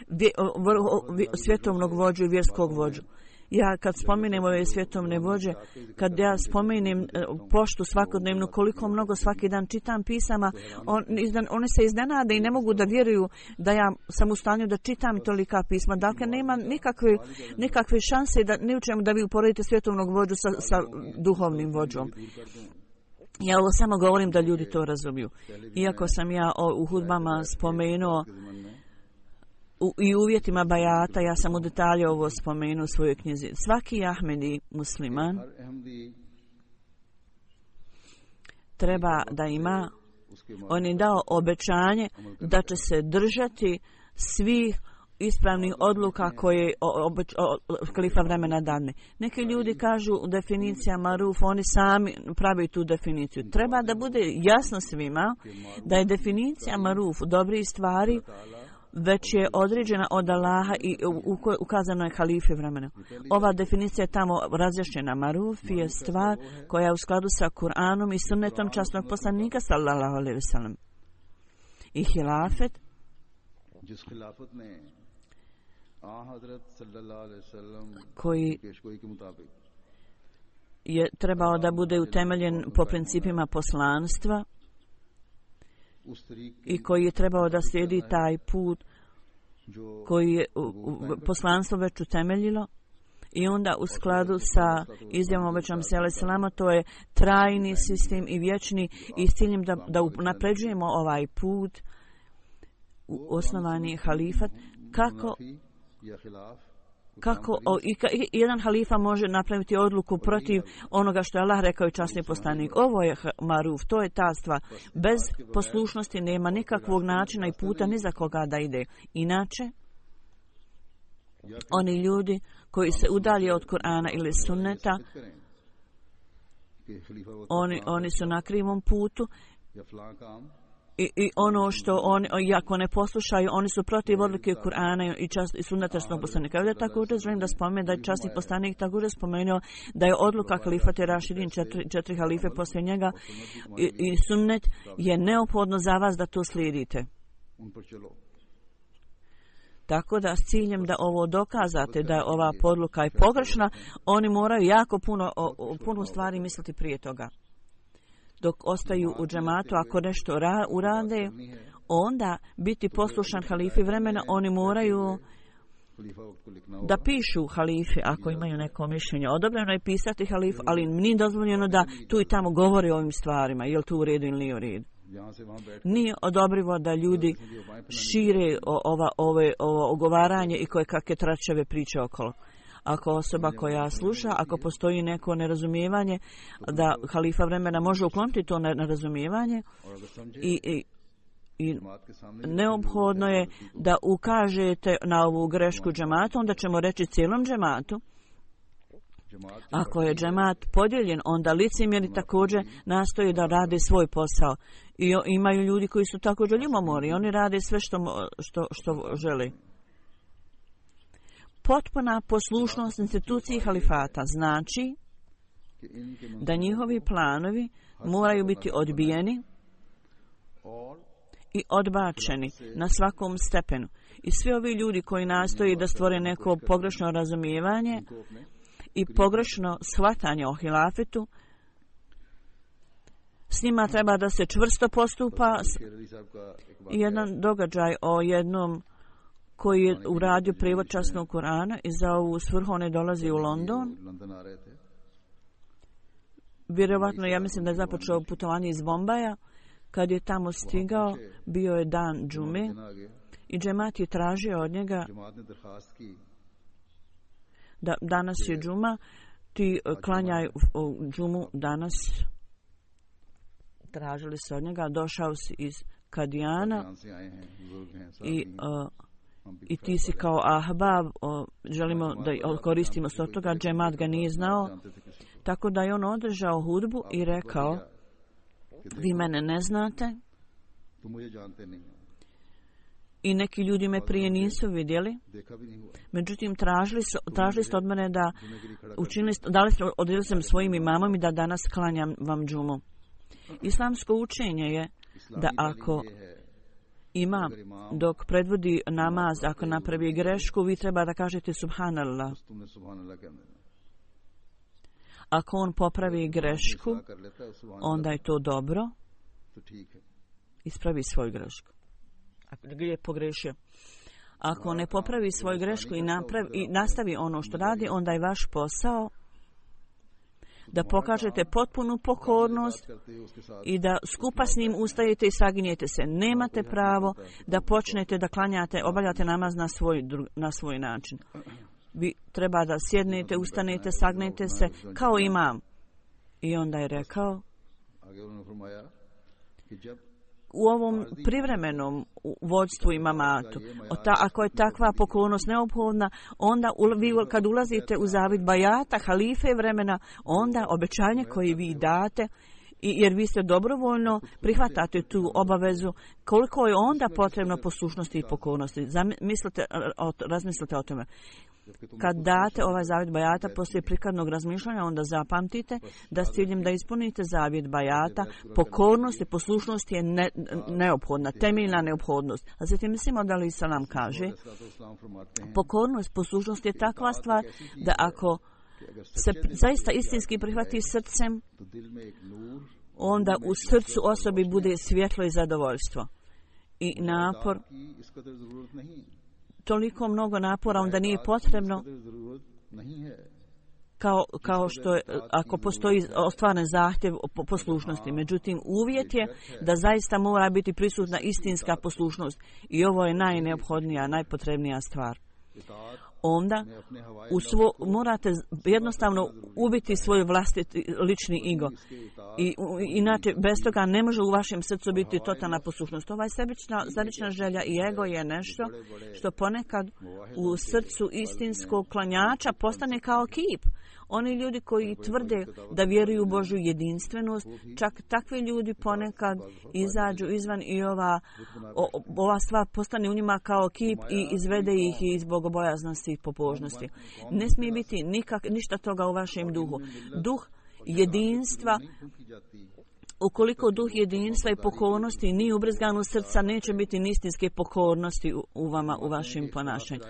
svjetovnog vođu i vjerskog vođu. Ja kad spomenem ove svjetovne vođe, kad ja spomenem poštu svakodnevno, koliko mnogo svaki dan čitam pisama, oni se iznenade i ne mogu da vjeruju da ja sam u stanju da čitam tolika pisma. Dakle, nema nikakve šanse da ne učemo da vi uporedite svjetovnog vođu sa duhovnim vođom. Ja ovo samo govorim da ljudi to razumiju. Iako sam ja u hudbama spomenuo i uvjetima bajata, ja sam u detalje ovo spomenuo u svojoj knjizi. Svaki Ahmedi musliman treba da ima, on je dao obećanje da će se držati svih ispravnih odluka koje halifa vremena dadne. Neki ljudi kažu definicija maruf, oni sami pravi tu definiciju. Treba da bude jasno svima da je definicija maruf dobrih stvari već je određena od Allaha i ukazano je halife vremena. Ova definicija je tamo razjašnjena. Maruf je stvar koja je u skladu sa Kur'anom i sunnetom časnog poslanika sallallahu alejhi ve sellem. I hilafet koji je trebao da bude utemeljen po principima poslanstva i koji je trebao da slijedi taj put koji je poslanstvo već utemeljilo i onda u skladu sa izjavom obećanom se alejselama, to je trajni sistem i vječni i s ciljem da napređujemo ovaj put osnovani halifat kako jedan halifa može napraviti odluku protiv onoga što je Allah rekao i časni poslanik. Ovo je maruf, to je ta stvar. Bez poslušnosti nema nikakvog načina i puta ni za koga da ide. Inače, Oni ljudi koji se udalje od Kur'ana ili sunneta, oni su na krivom putu i ono što oni, ako ne poslušaju, oni su protiv odluke Kur'ana i sunneta poslanika. Ovdje također želim da spomenem da je časni poslanik također spomenuo da je odluka halifate Rašidin, četiri halife poslije njega i sunnet je neophodno za vas da to slijedite. Tako da s ciljem da ovo dokazate da je ova podluka i pogrešna, oni moraju jako puno stvari misliti prije toga. Dok ostaju u džematu, ako nešto urade, onda biti poslušan halifi vremena, oni moraju da pišu halifi ako imaju neko mišljenje. Odobreno je pisati halifu, ali nije dozvoljeno da tu i tamo govori o ovim stvarima, je li to u redu ili nije u redu. Nije odobrivo da ljudi šire ovo ogovaranje i koje kakve tračeve priče okolo. Ako osoba koja sluša, ako postoji neko nerazumijevanje, da halifa vremena može ukloniti to nerazumijevanje i neophodno je da ukažete na ovu grešku džemata, onda ćemo reći cijelom džematu. Ako je džemat podijeljen, onda licemjeri također nastoje da rade svoj posao. I imaju ljudi koji su također ljubomorni, oni rade sve što žele. Potpuna poslušnost instituciji halifata znači da njihovi planovi moraju biti odbijeni i odbačeni na svakom stepenu. I svi ovi ljudi koji nastoji da stvore neko pogrešno razumijevanje i pogrešno shvatanje o hilafetu, s njima treba da se čvrsto postupa. Jedan događaj o jednom koji je uradio prijevod časnog Kur'ana i za ovu svrhu on je dolazi u London. Vjerovatno, ja mislim da je započeo putovanje iz Bombaja. Kad je tamo stigao, bio je dan džume i džemat je tražio od njega da danas je džuma, ti klanjaj džumu danas. Tražili se od njega, došao si iz Kadijana i ti si kao ahbab, želimo da koristimo se od toga, džemat ga nije znao, tako da je on održao hudbu i rekao, vi mene ne znate i neki ljudi me prije nisu vidjeli, međutim tražili ste od mene da odredili sam svojim imamom i da danas klanjam vam džumu. Islamsko učenje je da ako imam dok predvodi namaz, ako napravi grešku, vi treba da kažete subhanallah. Ako on popravi grešku, onda je to dobro. Ispravi svoju grešku. Ako je pogrešio. Ako ne popravi svoju grešku i nastavi ono što radi, onda je vaš posao da pokažete potpunu pokornost i da skupa s njim ustajete i saginjete se. Nemate pravo da počnete da klanjate, obavljate namaz na svoj način. Vi treba da sjednete, ustanete, sagnete se kao imam. I onda je rekao, u ovom privremenom vođstvu imamatu, ako je takva pokornost neophodna, onda vi kad ulazite u zavid bajata, halife vremena, onda obećanje koje vi date, jer vi ste dobrovoljno prihvatate tu obavezu, koliko je onda potrebno poslušnosti i pokornosti. Razmislite o tome. Kad date ovaj zavjet bajata poslije prikladnog razmišljanja, onda zapamtite da s ciljem da ispunite zavjet bajata, pokornost i poslušnost je neophodna, temeljna neophodnost. A zatim mislimo da li Salam kaže, pokornost, poslušnost je takva stvar da ako se zaista istinski prihvati srcem, onda u srcu osobi bude svjetlo i zadovoljstvo. I napor, toliko mnogo napora onda nije potrebno kao što je, ako postoji ostvaren zahtjev poslušnosti. Međutim, uvjet je da zaista mora biti prisutna istinska poslušnost. I ovo je najneophodnija, najpotrebnija stvar. onda morate jednostavno ubiti svoj vlastiti lični ego. I inače, bez toga ne može u vašem srcu biti totalna poslušnost. Ovaj sebična želja i ego je nešto što ponekad u srcu istinskog klanjača postane kao kip. Oni ljudi koji tvrde da vjeruju u Božju jedinstvenost, čak takvi ljudi ponekad izađu izvan i ova stvar postane u njima kao kip i izvede ih iz bogobojaznosti i pobožnosti. Ne smije biti ništa toga u vašem duhu. Duh jedinstva, ukoliko duh jedinstva i pokornosti nije ubrizgan u srca, neće biti ni istinske pokornosti u vama, u vašem ponašanju.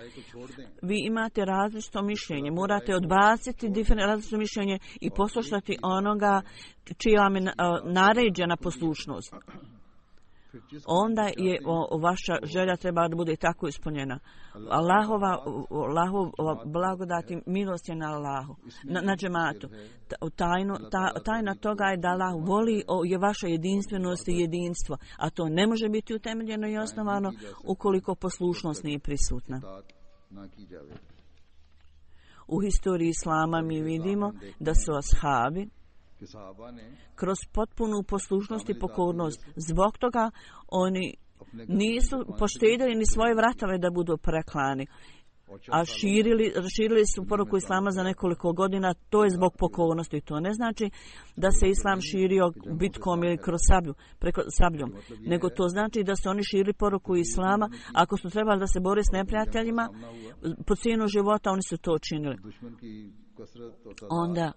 Vi imate različito mišljenje, morate odbaciti različito mišljenje i poslušati onoga čija vam je naređena poslušnost. Onda je vaša želja treba da bude tako ispunjena. Allahova blagodat i milost je na Allahu, na džematu. Tajna toga je da Allah voli je vaša jedinstvenost i jedinstvo, a to ne može biti utemeljeno i osnovano ukoliko poslušnost nije prisutna. U historiji Islama mi vidimo da su ashabi kroz potpunu poslušnost i pokornost. Zbog toga oni nisu poštedili ni svoje vratove da budu preklani, a širili su poruku Islama za nekoliko godina. To je zbog pokornosti. To ne znači da se Islam širio bitkom ili kroz sabljom, nego to znači da su oni širili poruku Islama. Ako su trebali da se bore s neprijateljima po cijenu života, oni su to činili. Onda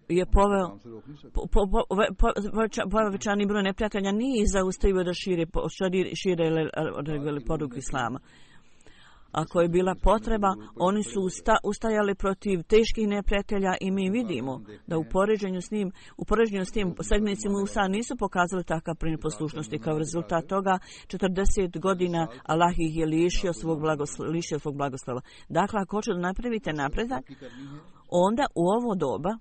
je povećani broj neprijatelja nije zaustavio da šire poruku Islama. Ako je bila potreba, oni su ustajali protiv teških neprijatelja i mi vidimo da u poređenju s tim sedmenici Musa nisu pokazali takav primjer poslušnosti. Kao rezultat toga 40 godina Allah ih je lišio svog blagoslova. Dakle, ako hoćete da napravite napredak, onda u ovo doba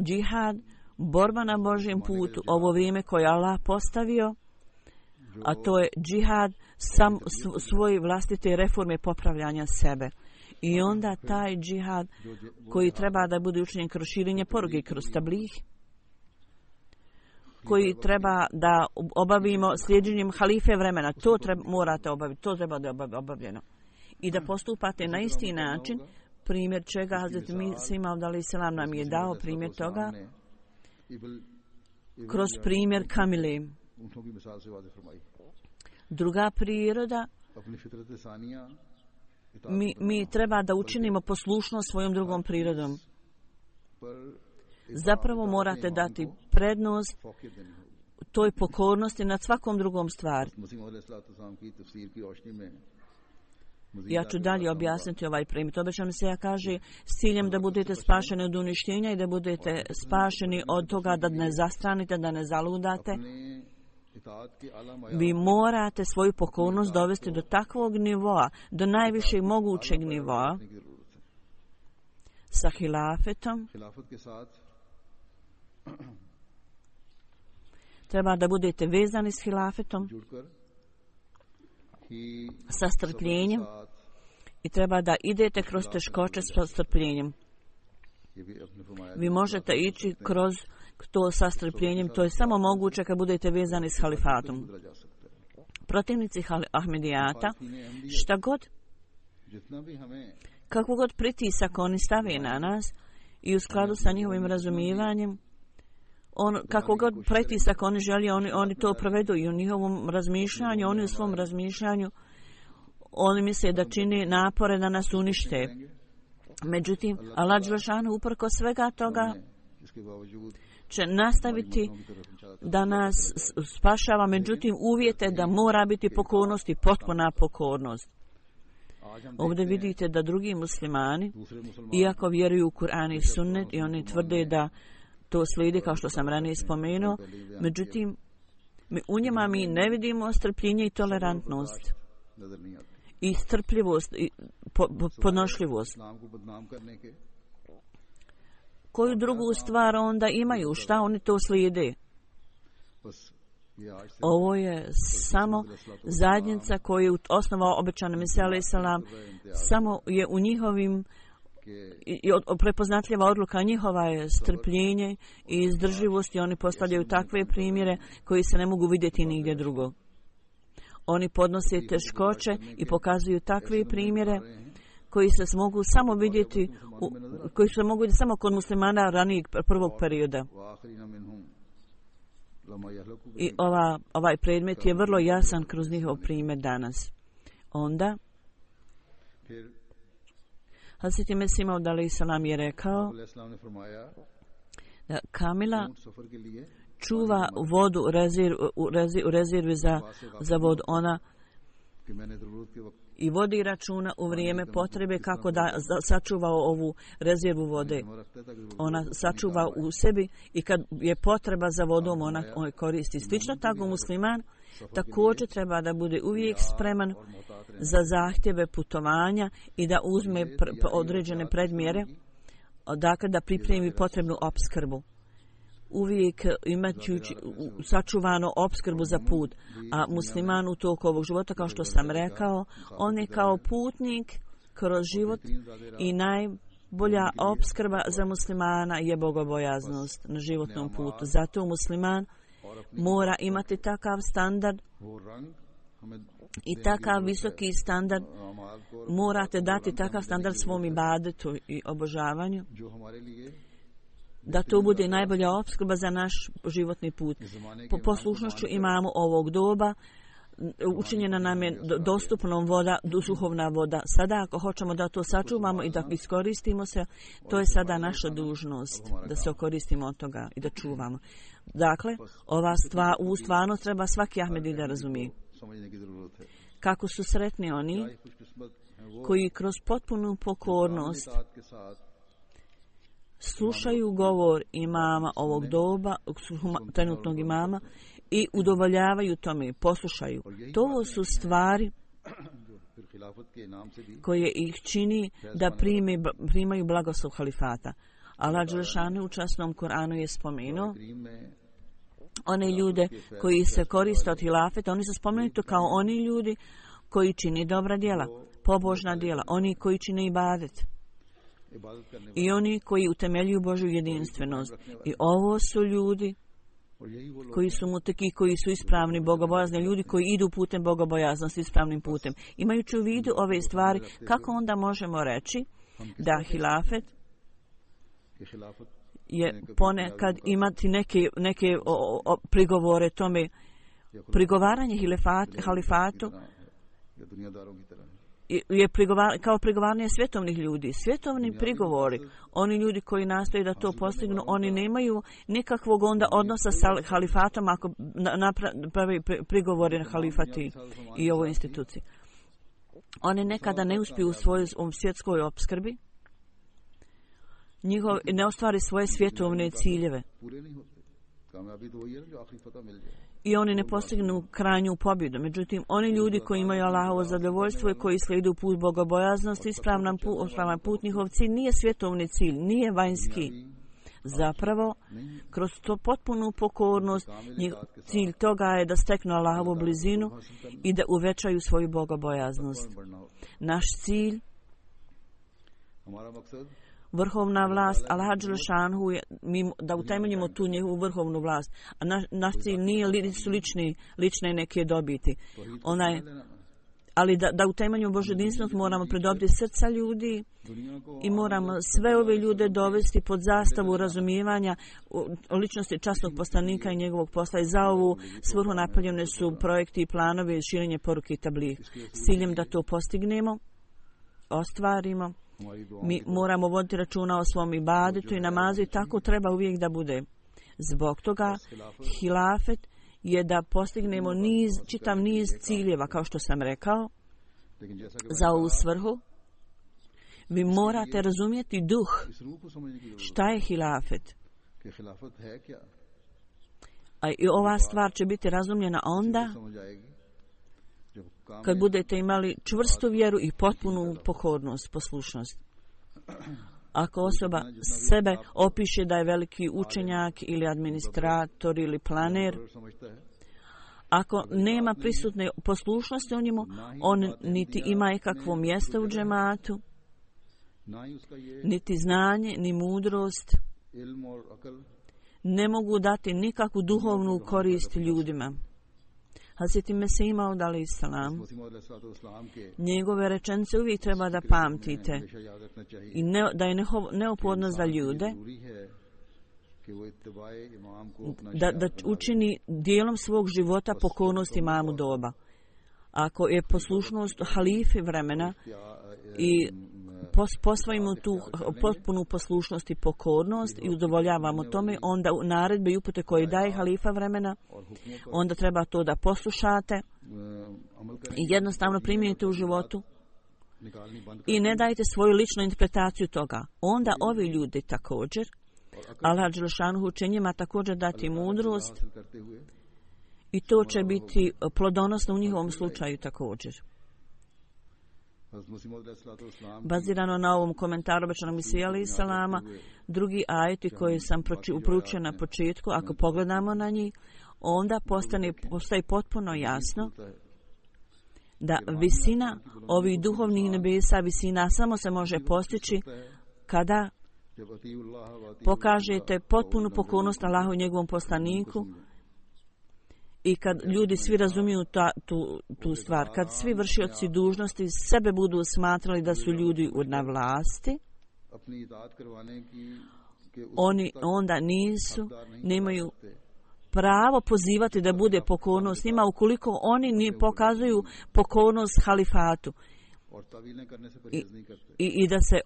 džihad, borba na Božjem putu, ovo vrijeme koje Allah postavio, a to je džihad svoje vlastite reforme popravljanja sebe. I onda taj džihad koji treba da bude učinjen kroz širenje poruke, kroz tablih, koji treba da obavimo slijedjenjem halife vremena, to morate obaviti, to treba da je obavljeno. I da postupate na isti način, primjer čega Hazret Mesih alejhiselam nam je dao primjer toga kroz primjer Kamile. Druga priroda, mi treba da učinimo poslušnost svojom drugom prirodom. Zapravo morate dati prednost toj pokornosti nad svakom drugom stvari. Ja ću dalje objasniti ovaj primjer. Obećam se, ja kaže, s ciljem da budete spašeni od uništenja i da budete spašeni od toga da ne zastranite, da ne zaludate. Vi morate svoju pokornost dovesti do takvog nivoa, do najvišeg mogućeg nivoa, sa hilafetom. Treba da budete vezani s hilafetom, sa strpljenjem, i treba da idete kroz teškoće sa strpljenjem. Vi možete ići kroz to sa strpljenjem, to je samo moguće kad budete vezani s halifatom. Protivnici Ahmedijata, šta god, kako god pritisak oni stave na nas i u skladu sa njihovim razumijevanjem, kako god pritisak oni želi, oni to provedu i u njihovom razmišljanju, oni u svom razmišljanju, oni misle da čini napore da nas unište. Međutim, Allah dželešanu uprkos svega toga će nastaviti da nas spašava, međutim uvjete da mora biti pokornost i potpuna pokornost. Ovdje vidite da drugi muslimani, iako vjeruju u Kur'an i sunnet i oni tvrde da to slijedi kao što sam ranije spomenuo, međutim u njima mi ne vidimo strpljenje i tolerantnost i strpljivost i podnošljivost. Koju drugu stvar onda imaju? Šta oni to slijede? Ovo je samo zajednica koju je osnovao obećani Mesija alejhi selam, samo je u njihovim i prepoznatljiva odluka njihova je strpljenje i izdržljivost i oni postavljaju takve primjere koji se ne mogu vidjeti nigdje drugo. Oni podnose teškoće i pokazuju takve primjere koji se mogu samo vidjeti koji se mogu vidjeti samo kod muslimana ranijeg prvog perioda. I ovaj predmet je vrlo jasan kroz njihov primjer danas. Onda Hazreti Mesih Maud alejhi selam je rekao da Kamila čuva vodu u rezervi za vodu. Ona i vodi računa u vrijeme potrebe kako da sačuva ovu rezervu vode. Ona sačuva u sebi i kad je potreba za vodom ona koristi. Slično tako musliman također treba da bude uvijek spreman za zahtjeve putovanja i da uzme određene predmjere, dakle da pripremi potrebnu opskrbu. Uvijek imati sačuvano opskrbu za put, a musliman u toku ovog života, kao što sam rekao, on je kao putnik kroz život i najbolja opskrba za muslimana je bogobojaznost na životnom putu. Zato musliman mora imati takav standard i takav visoki standard, morate dati takav standard svom ibadetu i obožavanju, da to bude najbolja opskrba za naš životni put. Po poslušnošću imamo ovog doba učinjena nam je dostupnom voda, duhovna voda. Sada ako hoćemo da to sačuvamo i da iskoristimo se, to je sada naša dužnost da se okoristimo od toga i da čuvamo. Dakle, ova stvarnost treba svaki Ahmedi da razumije. Kako su sretni oni koji kroz potpunu pokornost slušaju govor imama ovog doba, trenutnog imama, i udovoljavaju tome, poslušaju. To su stvari koje ih čini da primaju blagoslov halifata. Allah dželešanu u časnom Kur'anu je spomenuo one ljude koji se koriste od hilafeta, oni su spomenuti kao oni ljudi koji čini dobra djela, pobožna djela, oni koji čine ibadet i oni koji utemeljuju Božju jedinstvenost. I ovo su ljudi koji su muteki, koji su ispravni, bogobojazni, ljudi koji idu putem bogobojaznosti, ispravnim putem. Imajući u vidu ove stvari, kako onda možemo reći da hilafet je ponekad imati neke prigovore tome, prigovaranje halifatu je kao prigovaranje svjetovnih ljudi. Svjetovni prigovori, oni ljudi koji nastoje da to postignu, oni nemaju nikakvog onda odnosa sa halifatom ako napravi prigovori na halifati i ovoj instituciji. Oni nekada ne uspiju u svojoj svjetskoj opskrbi, ne ostvari svoje svjetovne ciljeve. I oni ne postignu krajnju pobjedu. Međutim, oni ljudi koji imaju Allahovo zadovoljstvo i koji slijedu put bogobojaznosti, ispravan put, njihov cilj nije svjetovni cilj, nije vanjski. Zapravo, kroz to potpunu pokornost, cilj toga je da steknu Allahovu blizinu i da uvećaju svoju bogobojaznost. Naš cilj, vrhovna vlast, Allah dželešanu je da utemeljimo tu njegovu vrhovnu vlast. A naš cilj nisu lične neke dobiti. Ali da utemeljimo Božju jedinstvenost moramo pridobiti srca ljudi i moramo sve ove ljude dovesti pod zastavu razumijevanja ličnosti časnog poslanika i njegovog posla. I za ovu svrhu napravljene su projekti i planovi širenje poruke i tabligh. S ciljem da to postignemo, ostvarimo. Mi moramo voditi računa o svom ibadetu i namazu i tako treba uvijek da bude. Zbog toga hilafet je da postignemo čitav niz ciljeva, kao što sam rekao, za ovu svrhu. Vi morate razumjeti duh. Šta je hilafet? A i ova stvar će biti razumljena onda kad budete imali čvrstu vjeru i potpunu pokornost, poslušnost. Ako osoba sebe opiše da je veliki učenjak ili administrator ili planer, Ako nema prisutne poslušnosti u njemu, on niti ima ikakvo mjesto u džematu, niti znanje, ni mudrost, ne mogu dati nikakvu duhovnu korist ljudima. Hazreti Mesih Maud alejhi selam, njegove rečenice uvijek treba da pamtite i da je neophodno za ljude da učini dijelom svog života pokornost imamu doba. Ako je poslušnost halifi vremena i posvojimo tu potpunu poslušnost i pokornost i udovoljavamo tome, onda u naredbe i upute koje daje halifa vremena, onda treba to da poslušate i jednostavno primijenite u životu i ne dajte svoju ličnu interpretaciju toga. Onda ovi ljudi također, Allah dželešanu će njima također dati mudrost i to će biti plodonosno u njihovom slučaju također. Bazirano na ovom komentaru obećanog Mesija alejhi selama, drugi ajeti koji sam proučio na početku, ako pogledamo na njih, onda postaje potpuno jasno da visina ovih duhovnih nebesa, visina samo se može postići kada pokažete potpunu pokornost Allahu i njegovom poslaniku i kad ljudi svi razumiju tu stvar, kad svi vršioci dužnosti sebe budu smatrali da su ljudi na vlasti, oni onda nemaju pravo pozivati da bude pokornost njima ukoliko oni ne pokazuju pokornost halifatu i da se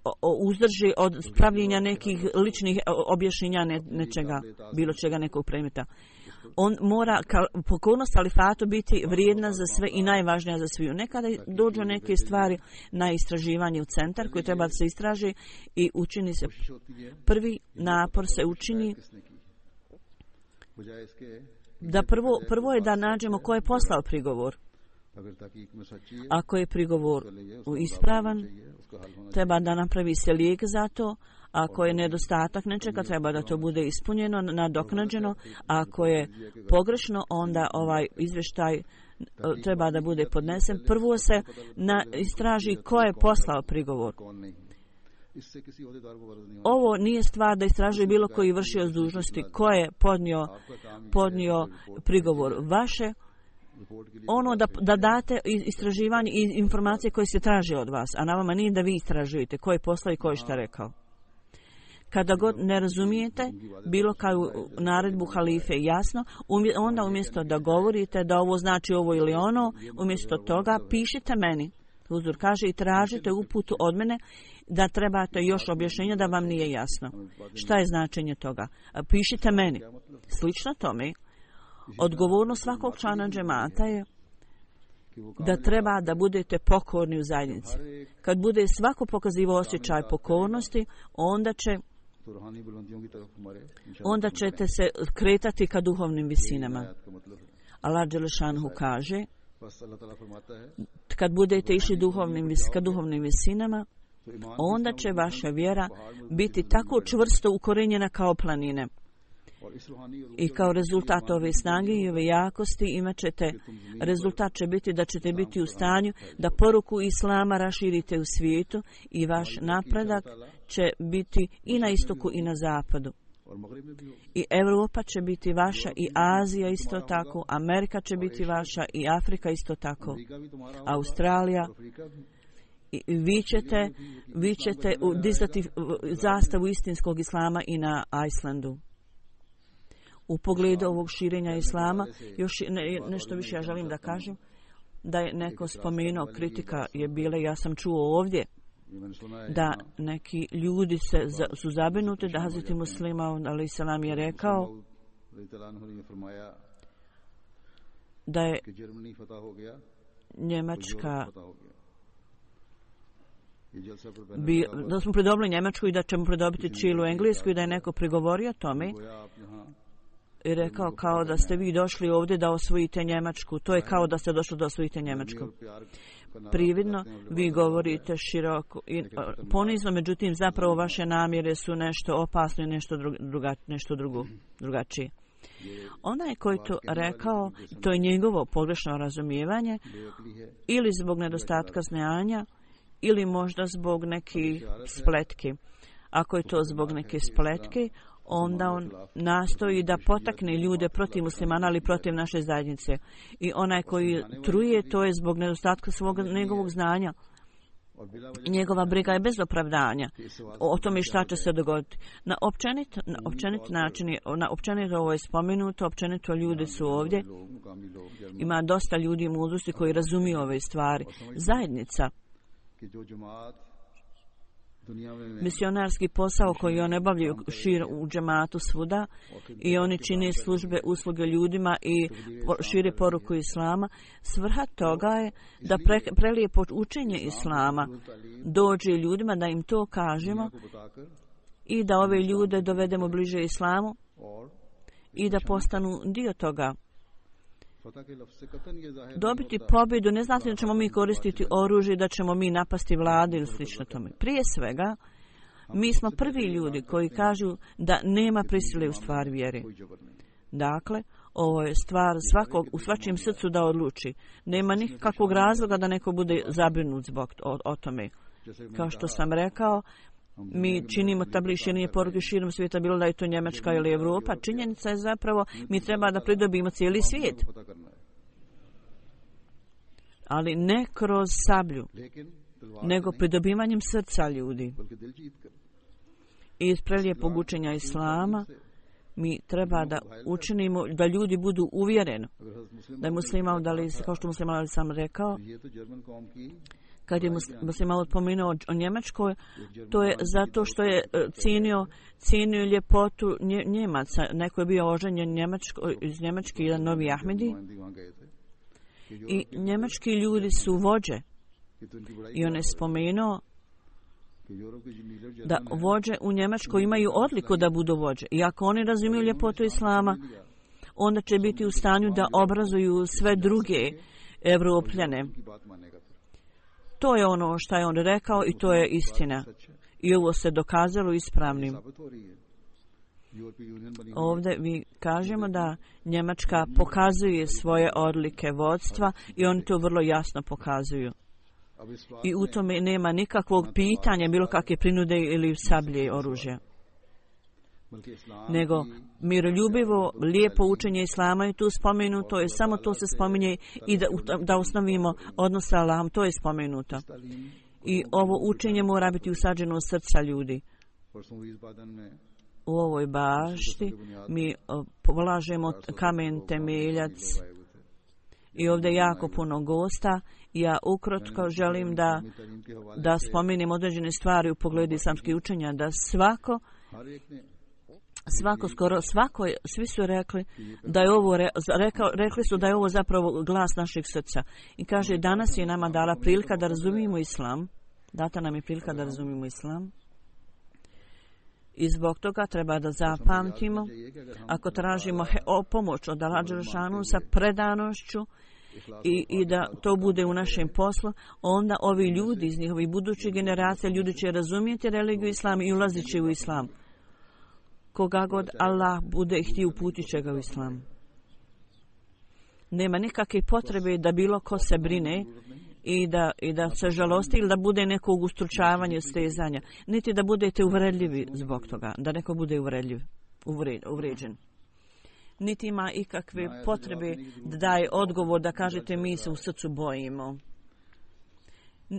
uzdrži od spravljenja nekih ličnih objašnjenja nečega, bilo čega nekog predmeta. On mora pokornost halifatu biti vrijedna za sve i najvažnija za sviju. Nekada dođu neke stvari na istraživanje u centar koji treba da se istraži i učini se prvi napor se učini da prvo je da nađemo ko je poslao prigovor. Ako je prigovor ispravan, treba da napravi se lijek za to. Ako je nedostatak nečega, treba da to bude ispunjeno, nadoknađeno. Ako je pogrešno, onda ovaj izvještaj treba da bude podnesen. Prvo se istraži ko je poslao prigovor. Ovo nije stvar da istražuje bilo koji vršioc dužnosti ko je podnio prigovor. Vaše ono da date istraživanje i informacije koje se traže od vas, a na vama nije da vi istražujete ko je poslao i ko je šta rekao. Kada god ne razumijete bilo kao naredbu halife jasno, onda umjesto da govorite da ovo znači ovo ili ono, umjesto toga pišite meni. Huzur kaže i tražite uputu od mene da trebate još objašnjenja da vam nije jasno. Šta je značenje toga? Pišite meni. Slično tome, odgovornost svakog člana džemata je da treba da budete pokorni u zajednici. Kad bude svako pokazivao osjećaj pokornosti, onda ćete se kretati ka duhovnim visinama. Allah dželešanu kaže, kad budete išli ka duhovnim visinama, onda će vaša vjera biti tako čvrsto ukorenjena kao planine. I kao rezultat ove snage i ove jakosti rezultat će biti da ćete biti u stanju da poruku Islama raširite u svijetu i vaš napredak će biti i na istoku i na zapadu. I Europa će biti vaša i Azija isto tako, Amerika će biti vaša i Afrika isto tako, Australija. I vi ćete dizati zastavu istinskog Islama i na Islandu. U pogledu ovog širenja Islama, još nešto više ja želim da kažem, da je neko spomenuo, kritika je bila, ja sam čuo ovdje, da neki ljudi su zabrinuti da Hazreti Muslima alejhi selam je rekao da je Njemačka da smo pridobili Njemačku i da ćemo pridobiti cijelu Englesku i da je neko prigovorio tome i rekao kao da ste vi došli ovdje da osvojite Njemačku. To je kao da ste došli da osvojite Njemačku. Prividno vi govorite široko i ponizno, međutim zapravo vaše namjere su nešto opasno i nešto drugačije. Onaj koji to rekao, to je njegovo pogrešno razumijevanje ili zbog nedostatka znanja ili možda zbog nekih spletki. Ako je to zbog neke spletke, onda on nastoji da potakne ljude protiv muslimana, ali protiv naše zajednice. I onaj koji truje, to je zbog nedostatka njegovog znanja. Njegova briga je bez opravdanja o tome šta će se dogoditi. Na općenit način, na općenito ovo je spomenuto, općenito ljudi su ovdje. Ima dosta ljudi mudrosti koji razumiju ove stvari. Zajednica, misionarski posao koji oni obavljaju u džematu svuda i oni čine službe, usluge ljudima i šire poruku islama. Svrha toga je da prelijepo učenje islama dođe ljudima, da im to kažemo i da ove ljude dovedemo bliže islamu i da postanu dio toga. Dobiti pobjedu ne znači da ćemo mi koristiti oružje, da ćemo mi napasti vlade ili slično tome. Prije svega, mi smo prvi ljudi koji kažu da nema prisile u stvari vjere. Dakle, ovo je stvar svakog u svačijem srcu da odluči. Nema nikakvog razloga da neko bude zabrinut zbog o tome. Kao što sam rekao, mi činimo tabligh širenje poruke širom svijeta, bilo da je to Njemačka ili Evropa. Činjenica je zapravo, mi treba da pridobimo cijeli svijet. Ali ne kroz sablju, nego pridobivanjem srca ljudi. I iz prelijepog učenja islama mi treba da učinimo da ljudi budu uvjereni. Da je muslima, kao što muslima ali sam rekao, kad je muslima pomenuo o Njemačkoj, to je zato što je cijenio ljepotu Njemaca. Neko je bio oženjen iz Njemačke, jedan novi Ahmedi. I njemački ljudi su vođe. I on je spomenuo da vođe u Njemačkoj imaju odliku da budu vođe. I ako oni razumiju ljepotu islama, onda će biti u stanju da obrazuju sve druge Evropljane. To je ono što je on rekao i to je istina. I ovo se dokazalo ispravnim. Ovdje mi kažemo da Njemačka pokazuje svoje odlike vodstva i oni to vrlo jasno pokazuju. I u tome nema nikakvog pitanja, bilo kakve prinude ili sablje oružja. Nego miroljubivo, lijepo učenje islama je tu spomenuto, je samo to se spominje i da osnovimo odnos sa Allahom, to je spomenuto. I ovo učenje mora biti usađeno u srca ljudi. U ovoj bašti mi polažemo kamen temeljac i ovdje jako puno gosta. Ja ukratko želim da spomenem određene stvari u pogledu islamskih učenja, da svi su rekli da je ovo, rekli su da je ovo zapravo glas našeg srca. I kaže, danas je nama dala prilika da razumijemo islam. Data nam je prilika da razumijemo islam. I zbog toga treba da zapamtimo, ako tražimo pomoć od Allaha dželešanu sa predanošću i da to bude u našem poslu, onda ovi ljudi iz njihovih budućih generacija, ljudi će razumjeti religiju islam i ulazit će u islam. Koga god Allah bude htio, uputit će ga u islam. Nema nikakve potrebe da bilo ko se brine i da se žalosti ili da bude nekog ustručavanja, stezanja. Niti da budete uvredljivi zbog toga, da neko bude uvređen. Niti ima ikakve potrebe da daje odgovor, da kažete mi se u srcu bojimo.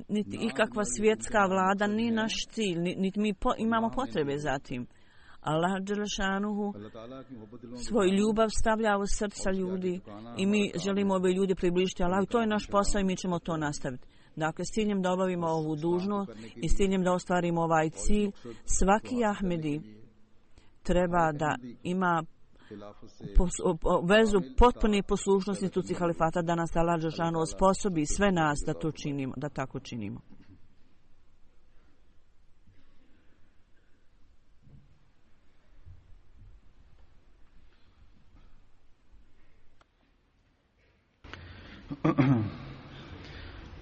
Niti ikakva svjetska vlada nije naš cilj, niti mi imamo potrebe za tim. Allah dželešanuhu svoj ljubav stavlja u srca ljudi i mi želimo ove ljudi približiti Allahu. To je naš posao i mi ćemo to nastaviti. Dakle, s ciljem da obavimo ovu dužnost i s ciljem da ostvarimo ovaj cilj, svaki Ahmedi treba da ima vezu potpune poslušnosti instituciji halifata, da nas Allah dželešanuhu osposobi sve nas da to činimo, da tako činimo.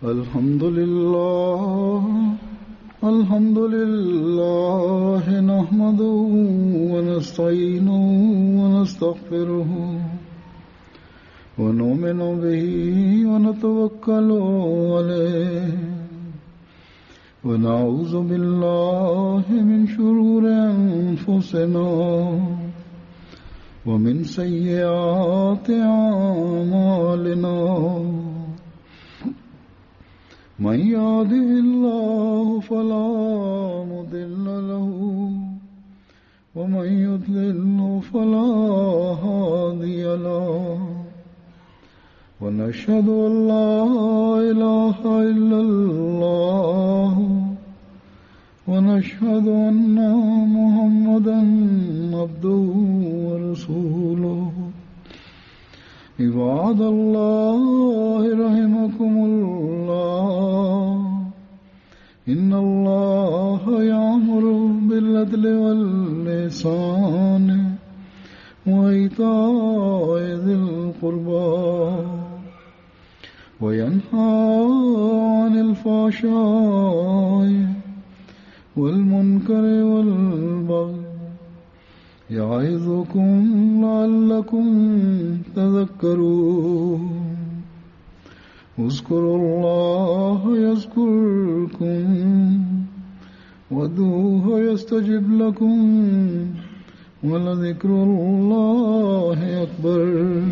الحمد لله الحمد لله نحمده ونستعينه ونستغفره ونؤمن به ونتوكل عليه ونعوذ بالله من شرور أنفسنا ومن سيئات أعمالنا من يهده الله فلا مضل له ومن يضلل فلا هادي له ونشهد أن لا إله إلا الله ونشهد أن محمدا عبده ورسوله عباد الله رحمكم الله إن الله يأمر بالعدل والإحسان وإيتاء ذي القربى وينهى عن الفحشاء والمنكر والبغي يعظكم لعلكم تذكرون اذكروا الله يذكركم وادعوه يستجب لكم ولذكر الله أكبر